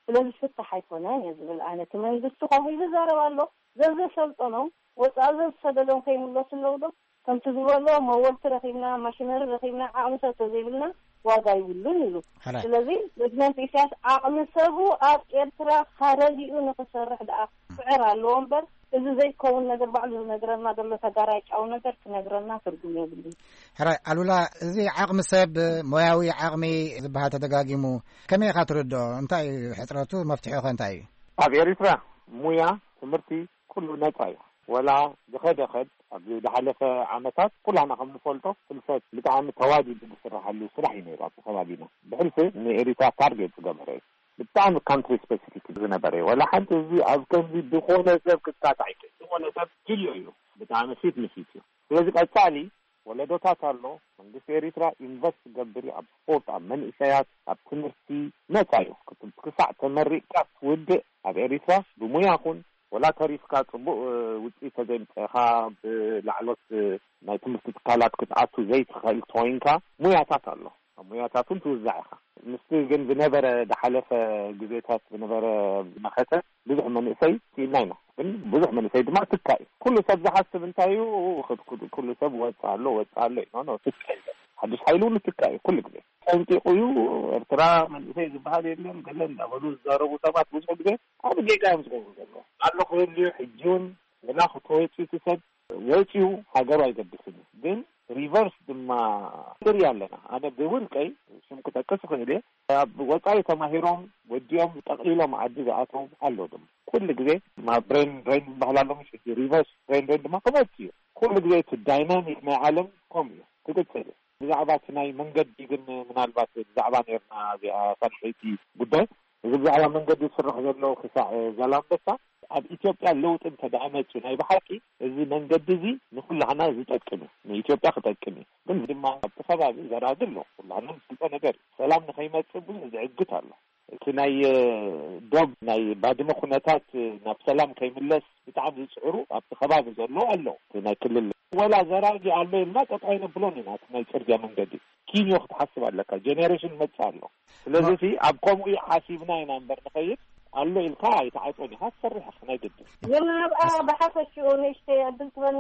ስለዚ ፍታሕ ኣይኮነን እየ ዝብል ኣነ። እቲ መንግስቲ ከምኡ ኢሉ ይዛረብ ኣሎ። ዘዘሰልጠኖም ወፃኢ ዘዝሰደዶም ከይምለሱ ኣለዉ ዶ? ከምቲ ዝበሎ መወልቲ ረኺብና፣ ማሽነሪ ረኺብና፣ ዓቕሚ ሰብ ተዘይብልና ዋጋ ይብሉን ኢሉ። ሕራይ። ስለዚ ፕሬዚደንት ኢሳያስ ዓቕሚ ሰቡ ኣብ ኤርትራ ካረጊኡ ንክሰርሕ ደኣ ክስዕር ኣለዎ እምበር፣ እዚ ዘይከውን ነገር ባዕሉ ዝነግረና ዘሎ ተጋራጫዊ ነገር ክነግረና ትርጉም የብሉን። ሕራይ ኣሉላ፣ እዚ ዓቕሚ ሰብ፣ ሞያዊ ዓቕሚ ዝበሃል ተደጋጊሙ፣ ከመይ ኢኻ ትርድኦ? እንታይ እዩ ሕጽረቱ? መፍትሒኡ ኸ እንታይ እዩ? ኣብ ኤሪትራ ሙያ፣ ትምህርቲ፣ ኩሉ ነጻ እዩ። ወላ ዝኸደ ኸድ ኣብዚ ዝሓለፈ ዓመታት ኩላና ከም ንፈልጦ ፍልሰት ብጣዕሚ ተዋዲዱ ዝስራሓሉ ስራሕ እዩ ነይሩ። ኣብቲ ከባቢና ብሕልፊ ንኤሪትራ ታርጌት ዝገበረ እዩ። ብጣዕሚ ካንትሪ ስፔሲፊክ ዝነበረ እዩ። ወላ ሓንቲ እዚ ኣብ ከምዚ ዝኾነ ሰብ ክካታዕ ይክእል። ዝኾነ ሰብ ድልዮ እዩ። ብጣዕሚ ፊት ንፊት እዩ። ስለዚ ቀጻሊ ወለዶታት ኣሎ። መንግስቲ ኤሪትራ ኢንቨስት ዝገብር እዩ ኣብ ስፖርት፣ ኣብ መንእሰያት፣ ኣብ ትምህርቲ። ነጻ እዩ። ክሳዕ ተመሪቕካ ትውድእ ኣብ ኤሪትራ ብሙያ ኹን ወላ ተሪፍካ ጽቡቕ ውፅኢት ተዘይምፀእኻ ብላዕሎት ናይ ትምህርቲ ትካላት ክትኣቱ ዘይትኽእል ተኮይንካ ሙያታት ኣሎ። ኣብ ሙያታት እውን ትውዛዕ ኢኻ። ምስቲ ግን ዝነበረ ዝሓለፈ ግዜታት ዝነበረ መኸተ ብዙሕ መንእሰይ ስኢና ኢና። ግን ብዙሕ መንእሰይ ድማ ትካ እዩ። ኩሉ ሰብ ዝሓስብ እንታይ እዩ? ኩሉ ሰብ ወፃ ኣሎ፣ ወፃ ኣሎ እዩ። ኖ፣ ኖ፣ ትካ እዩ። ሓዱሽ ሓይሊ እውን ትካ እዩ ኩሉ ግዜ። ጠንቂቑ እዩ። ኤርትራ መንእሰይ ዝበሃል የለን ገለ እንዳበሉ ዝዛረቡ ሰባት ብዙሕ ግዜ ኣብ ጌጋ እዮም ዝገብሩ ዘለዉ። ኣሎ ክህልዩ ሕጂ እውን ወላ ክተወፂ እቲ ሰብ ወፂኡ ሃገሩ ኣይገድስን እዩ። ግን ሪቨርስ ድማ ንርኢ ኣለና። ኣነ ብውልቀይ ሽም ክጠቅስ እኽእል እየ። ኣብ ወፃኢ ተማሂሮም ወዲኦም ጠቕሊሎም ዓዲ ዝኣተው ኣሎ ድማ። ኩሉ ግዜ ማ ብሬን ድሬን ዝበሃል ኣሎ፣ ምሽ ሕጂ ሪቨርስ ብሬን ድሬን ድማ ክመፅእ እዩ። ኩሉ ግዜ እቲ ዳይናሚክ ናይ ዓለም ከምኡ እዩ ክቅፅል እዩ። ብዛዕባ እቲ ናይ መንገዲ ግን ምናልባት ብዛዕባ ነርና እዚኣ ሳልሰይቲ ጉዳይ፣ እዚ ብዛዕባ መንገዲ ዝስራሕ ዘሎ ክሳዕ ዛላምበሳ ኣብ ኢትዮጵያ ለውጢ እንተደኣ መፅኡ ናይ ብሓቂ እዚ መንገዲ እዚ ንኩላህና ዝጠቅም እዩ፣ ንኢትዮጵያ ክጠቅም እዩ። ግን ድማ ኣብቲ ከባቢ ዘራጊ ኣሎ፣ ኩላህና ንፈልጦ ነገር እዩ። ሰላም ንኸይመፅእ ብዙሕ ዝዕግት ኣሎ። እቲ ናይ እ፣ ዶብ ናይ ባድመ ኩነታት እ፣ ናብ ሰላም ከይምለስ ብጣዕሚ ዝፅዕሩ ኣብቲ ከባቢ ዘለዉ ኣለዉ። እቲ ናይ ክልል ወላ ዘራጊ ኣሎ ኢልና ጠጠው ኣይነብሎን ኢና። እቲ ናይ ፅርግያ መንገዲ ኪንዮ ክትሓስብ ኣለካ። ጀኔሬሽን መፅእ ኣሎ። ስለዚ እቲ ኣብ ከምኡ ሓሲብና ኢና እምበር ንኸይድ ኣሎ ኢልካ ኣይትዓፅን ኢኻ ትሰርሕ ኢኻ ናይ ግድን። ግን ኣብኣ ብሓፈሽኡ ንእሽተይ ዕድል ትበኒ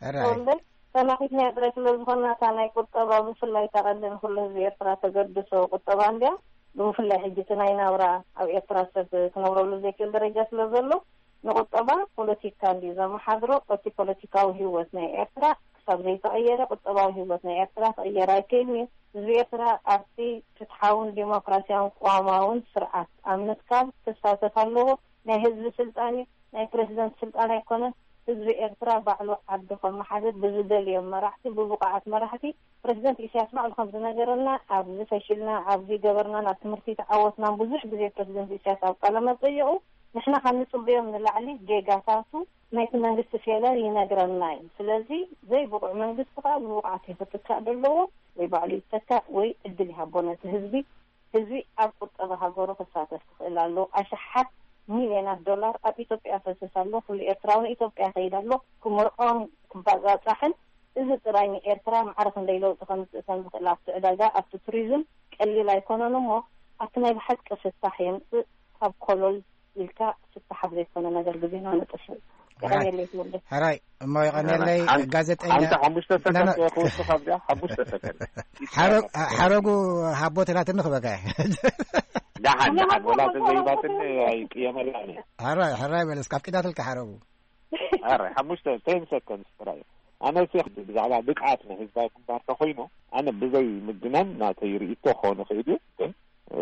ሕራይ። ተወልደ፣ ሰማዒት ናይ ጥረ ስለ ዝኾንና እታ ናይ ቁጠባ ብፍላይ እታ ቀንዲ ንኩሉ ህዝቢ ኤርትራ ተገድሶ ቁጠባ እንድያ። ብፍላይ ሕጂ እቲ ናይ ናብራ ኣብ ኤርትራ ሰብ ክነብረሉ ዘይክእል ደረጃ ስለ ዘሎ ንቁጠባ ፖለቲካ እንድዩ ዘመሓድሮ። እቲ ፖለቲካዊ ህይወት ናይ ኤርትራ ክሳብ ዘይተቐየረ ቁጠባዊ ህይወት ናይ ኤርትራ ክቕየር ኣይክእልን እዩ። ህዝቢ ኤርትራ ኣብቲ ፍትሓውን ዲሞክራሲያውን ቅዋማውን ስርዓት ኣብ ምትካል ክሳተፍ ኣለዎ። ናይ ህዝቢ ስልጣን እዩ፣ ናይ ፕረዚደንት ስልጣን ኣይኮነን። ህዝቢ ኤርትራ ባዕሉ ዓዱ ከመሓድር ብዝደልዮም መራሕቲ፣ ብብቑዓት መራሕቲ፣ ፕረዚደንት ኢሳያስ ባዕሉ ከም ዝነገረና፣ ኣብዚ ፈሺልና፣ ኣብዚ ገበርና፣ ናብ ትምህርቲ ተዓወትና፣ ብዙሕ ግዜ ፕረዚደንት ኢሳያስ ኣብ ቃለ መጠየቑ ንሕና ካብ ንጽበዮም ንላዕሊ ጌጋታቱ ናይቲ መንግስቲ ፌለር ይነግረና እዩ። ስለዚ ዘይብቑዕ መንግስቲ ከኣ ብብቑዓት እዩ ክትካእ ዘለዎ፣ ወይ ባዕሉ ይተካእ ወይ ዕድል ይሃቦ ነቲ ህዝቢ። ህዝቢ ኣብ ቁጠባ ሃገሩ ክሳተፍ ክኽእል ኣለዎ። ኣሽሓት ሚልዮናት ዶላር ኣብ ኢትዮጵያ ፈስስ ኣሎ። ኩሉ ኤርትራዊ ንኢትዮጵያ ይኸይድ ኣሎ። ክምርዖን ክባጻጻሕን፣ እዚ ጥራይ ንኤርትራ ማዕረ ክንደይ ለውጢ ከምጽእ ከም ዝኽእል ኣብቲ ዕዳጋ፣ ኣብቲ ቱሪዝም ቀሊል ኣይኮነን እሞ፣ ኣብቲ ናይ ብሓቂ ፍታሕ የምጽእ። ካብ ኮሎል ኢልካ ፍታሕ ኣብ ዘይኮነ ነገር ግዜና ነጥፍእ። ሕራይ። የቐንየለይ ትውልደ። ሕራይ፣ እሞ የቐንየለይ። ሓንቲ ጋዜጠኛ ሓንቲ ሓሙሽተ ሰከንድ ና-፣ ክወስኽ ኣብዚኣ፣ ሓሙሽተ ሰከንድ። ሓረ-፣ ሓረጉ ሃቦ ትላትኒ ክበካ እየ። ደሓን፣ ደሓን፣ ወላ ተዘይባትኒ ኣይቅየመላን እየ። ሕራይ፣ ሕራይ በል እስከ፣ ኣፍቂዳትልካ ሓረጉ። ሕራይ፣ ሓሙሽተ፣ ቴን ሰከንድስ ጥራይ። ኣነ እሲ ብዛዕባ ብቕዓት ናይ ህዝባዊ ግንባር ተኾይኑ፣ ኣነ ብዘይ ምግናን ናተይ ርእይቶ ክኾን ይኽእል እዩ፣ ግን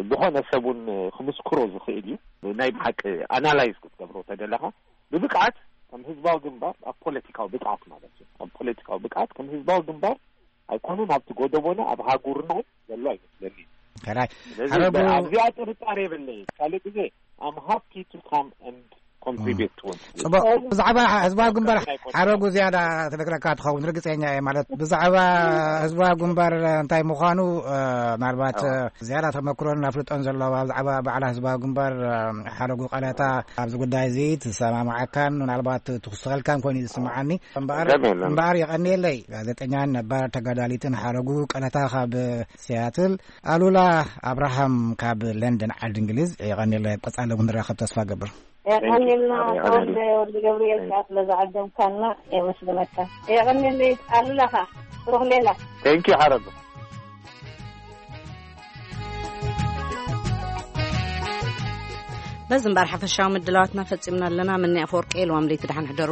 ዝኾነ ሰብ እውን ክምስክሮ ዝኽእል እዩ። ናይ ብሓቂ ኣናላይዝ ክትገብሮ ተደለኻ፣ ብብቕዓት ከም ህዝባዊ ግንባር ኣብ ፖለቲካዊ ብቕዓት ማለት እዩ። ኣብ ፖለቲካዊ ብቕዓት ከም ህዝባዊ ግንባር ኣይኮነን ኣብቲ ጎደቦና ኣብ ሃጉርና እውን ዘሎ ኣይመስለኒ። ሕራይ። ስለዚ ሓረጉ ኣብዚኣ ጥርጣሬ የብለይ። ካልእ ግዜ፣ I'm happy to come and contribute to it። ጽቡቕ። ብዛዕባ ህዝባዊ ግንባር ሓረጉ ዝያዳ ትነግረካ ትኸውን፣ ርግጸኛ እየ። ማለት ብዛዕባ ህዝባዊ ግንባር እንታይ ምዃኑ፣ እ፣ ምናልባት፣ ኣዎ። እ፣ ዝያዳ ተመክሮን ኣፍልጦን ዘለዋ ብዛዕባ ባዕላ ህዝባዊ ግንባር፣ እ፣ ሓረጉ ቀለታ ኣብዚ ጉዳይ እዚ ትሰማማዓካን ምናልባት ትውስኸልካን ኮይኑ እዩ ዝስምዓኒ። እምበኣር፣ ደሜለን። እምበኣር የቐንየለይ። ጋዜጠኛን ነባር ተጋዳሊትን ሓረጉ ቀለታ ካብ ሲያትል፣ ኣሉላ ኣብርሃም ካብ ለንደን ዓዲ እንግሊዝ፣ የቐንየለይ። ቀጻሊ እውን ንራኸብ ተስፋ ገብር። የቐንየልና። Thank you። ተወልደ ወዲ ገብርኤል፣ Thank you። ከኣ ስለ ዝዓደምካና የመስግነካ። የቐንየለይ። ኣሉላኻ ብሩኽ ሌላ። Thank you ሓረጉ። በዚ እምበኣር ሓፈሻዊ ምድላዋትና ፈጺምና ኣለና። ምኒ ኣፈወርቂ፣ የልዋም ለይቲ ደሓን ሕደሩ።